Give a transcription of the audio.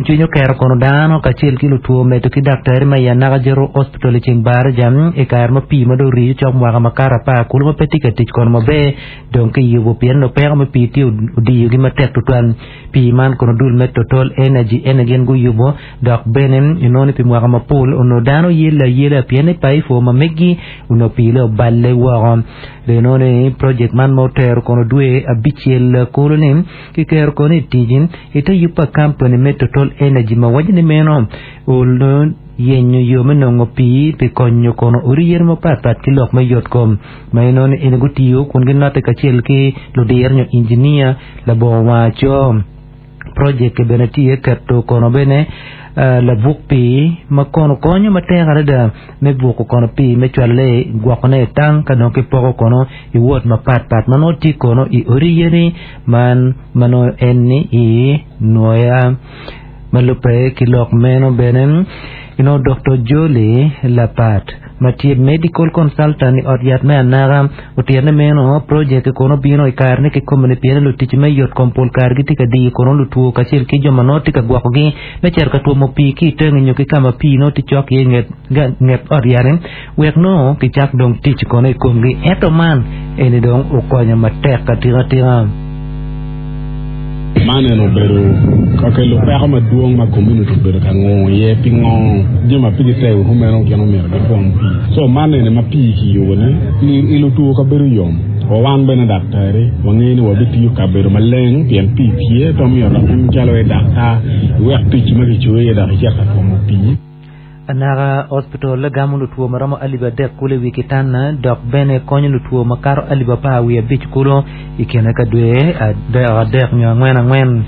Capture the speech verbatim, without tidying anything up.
Cwiny okero kono dano kacel ki lutwo medo ki daktari ma i Anaka General Hospital i ceng Baraja i kare ma pii ma dong oriyo cok mwaka makato apar kulu ma pe tye ka tic kono maber dong kiyubo pien onongo peko me pii tye odiyogi matek tutwal. Pii man kono dul me Total Energy ene gin guyubo dok bene inongo ni pi mwaka mapol onongo dano yelle ayela pien ni paifo ma megi onongo pii-le oballe woko. Dong inongo ni project man ma otero kono dwe abicel kulu-ni kiketo kono i tic ite yub pa kampani me Total Energy ma waco ni meno onongo yenyo yo me nongo pii pi konyo kono odi yen mapatpat ki lok me yotkom ma inongo ni eni gutiyo kun ginotte kacel ki ludiro nyo injinia labongo wangaco. Project bene tye keto kono bene labuk pii ma kono konyo matek adada me buko kono pii me cwalone gwokone i tank ka dong kipoko kono i wot mapatpat ma nongo tye kono i odi yeni man ma nongo en ni i nwoya. Ma lubbe ki lok meno bene, inongo Doktor Jolly Lapat ma tye medical consultant i ot yat me Anaka otito ni meno project kono obino i kare ni kikome-ni pien lutic me yot kom pol kare gitye ka diyo kono lutwo kacel ki jo ma nongo tye ka gwokogi me cito ka twomo pii ki i tenge nyo ki ka ma pii nongo tye cok iye i nget ot yat-ti wek nongo kicak dong tic kono i komgi ento man eni dong okonyo matek atika tika. Man eno obedo ka kelo peko madwong ma community obedo ka ngongo iye pi ngo jami ma pigi tego kumeno gin omyero gitwom pii. So man eni ma pii kiyubo-ni i lutwo kabedo yom wa wan bene daktari wangeyo ni wabitiyo kabedo maleng pien pii tye pe omyero dok in calo i daktar iwek tic ma kicoyi iye dok icit ka twomo pii. Anaka Hospital gamo lutwo ma romo alip adek kulu i wi kitanda dok bene konyo lutwo makato alip apar wiye abic kulu i kine ka dwe adek nyo angwen angwen.